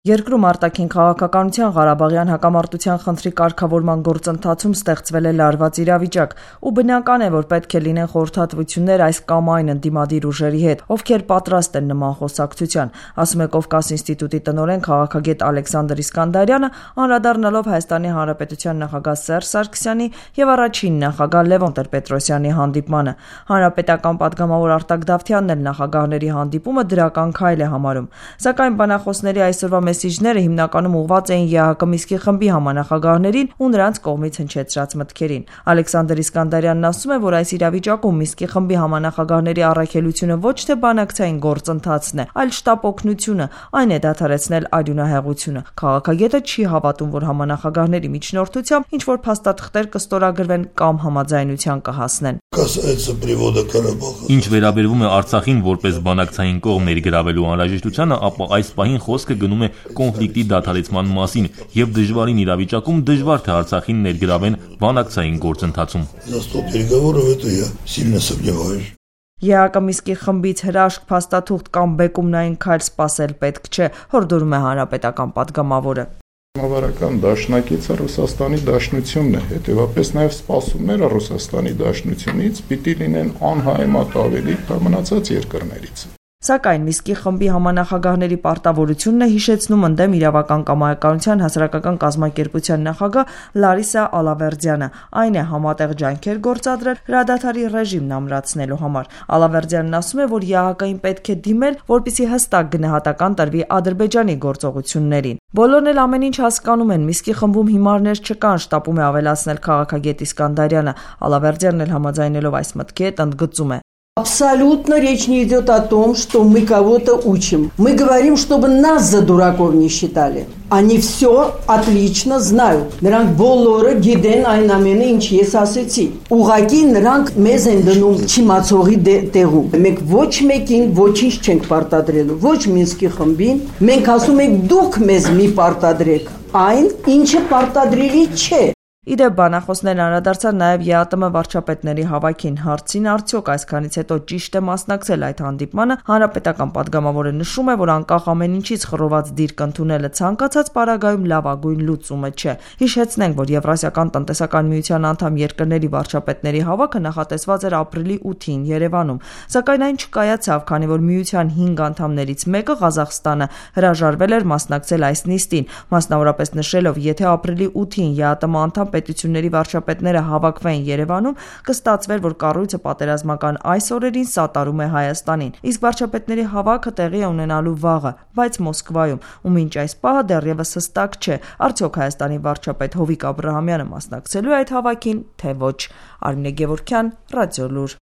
Երկրում արտաքին քաղաքականության Ղարաբաղյան հակամարտության խնդրի կարգավորման գործընթացում ստեղծվել է լարված իրավիճակ, ու բնական է, որ պետք է լինեն խորհրդատվություններ այս կամ այն ընդդիմադիր ուժերի հետ, ովքեր պատրաստ են նման խոսակցության, ասում է Կովկաս ինստիտուտի տնօրեն քաղաքագետ Ալեքսանդր Իսկանդարյանը, անդրադառնալով Հայաստանի Հանրապետության նախագահ Սերժ Սարգսյանի եւ առաջին նախագահ Լևոն Տեր-Պետրոսյանի հանդիպմանը։ Հանրապետական պատգամավոր Արտակ Դավթյանն էլ նախագահների հանդիպումը դրական քայլ է համարում, սակայն բանախոսների այսօրվա մեսիջները հիմնականում ուղղված էին ԵԱՀԿ Միսկի խմբի համանախագահներին ու նրանց կողմից հնչեցրած մտքերին։ Ալեքսանդր Իսկանդարյանն ասում է, որ այս իրավիճակում Միսկի խմբի համանախագահների առաքելությունը ոչ թե բանակցային գործընթացն է, այլ շտապ օգնությունը, այն է դադարեցնել արյունահեղությունը։ Քաղաքագետը չի հավատում, որ համանախագահների միջնորդությամբ ինչ-որ փաստաթղթեր կստորագրվեն կամ համաձայնության կհասնեն։ Ինչ վերաբերվում է Արցախին որպես բանակցային կողմ ներգրավելու անհրաժեշտությանը, ապա այս պահին խոսքը գնում է կոնֆլիկտի դադարեցման մասին եւ դժվարին իրավիճակում դժվար թե Արցախին ներգրավեն բանակցային գործընթացում։ ԵԱՀԿ Միսկի խմբից հրաշք, փաստաթուղթ կամ բեկումնային քայլ սպասել պետք չէ, հորդորում է հանրապետական պատգամավորը։ Համավարական դաշնակիցը Ռուսաստանի Դաշնությունն է, հետևաբար նաև սպասումները Ռուսաստանի Դաշնությունից պիտի լինեն անհայմատ ավելի, քան մնացած երկրներից։ Սակայն Միսկի խմբի համանախագահների պարտավորությունն է հիշեցնում ընդդեմ իրավական կամայականության հասարակական կազմակերպության նախագահ Լարիսա Ալավերդյանը, այն է համատեղ ջանքեր գործադրել հրադադարի ռեժիմն ամրացնելու համար։ Ալավերդյանն ասում է, որ ԵԱՀԿ-ին պետք է դիմել, որպեսզի հստակ գնահատական տրվի Ադրբեջանի գործողություններին։ Բոլորն էլ ամեն ինչ հասկանում են, Միսկի խմբում հիմարներ չկան, շտապում է ավելացնել քաղաքագետ Իսկանդարյանը։ Ալավերդյանն էլ համաձայնելով այս մտքի հետ ընդգծում է. Абсолютно речь не идет о том, что мы кого-то учим. Мы говорим, чтобы нас за дураков не считали. Они все отлично знают. Նրանք բոլորը գիտեն այն ամենը, ինչ ես ասեցի։ Ուղղակի նրանք մեզ են դնում չիմացողի տեղում։ Մենք ոչ մեկին ոչինչ չենք պարտադրելու, ոչ Մինսկի խմբին։ Մենք ասում ենք դուք մեզ մի պարտադրեք։ Այն, ինչը պարտադրելի չէ։ Իդեպ բանախոսներն անդրադարձան նաև ԵԱՏՄ վարչապետների հավաքին, հարցին արդյոք այսքանից հետո ճիշտ է մասնակցել այդ հանդիպմանը, հանրապետական պատգամավորը նշում է, որ անկախ ամեն ինչից խռոված դիրք ընդունելը ցանկացած պարագայում լավագույն լուծումը չէ։ Հիշեցնենք, որ Եվրասիական տնտեսական միության անդամ երկրների վարչապետների հավաքը նախատեսված էր ապրիլի 8-ին Երևանում, սակայն այն չկայացավ, քանի որ միության 5 անդամներից մեկը Ղազախստանը հրաժարվել էր մասնակցել այս նիստին, մասնավորապես նշելով, եթե ապրիլի 8-ին ԵԱՏՄ անդամ պետությունների վարչապետները հավաքվեն Երևանում, կստացվեր, որ կառույցը պատերազմական այս օրերին սատարում է Հայաստանին, իսկ վարչապետների հավաքը տեղի է ունենալու վաղը, բայց Մոսկվայում, ու մինչ այս պահը դեռևս հստակ չէ, արդյոք Հայաստանի վարչապետ Հովիկ Աբրահամյանը մասնակցելու է այդ հավաքին, թե ոչ։ Արմինե Գևորգյան, Ռադիոլուր։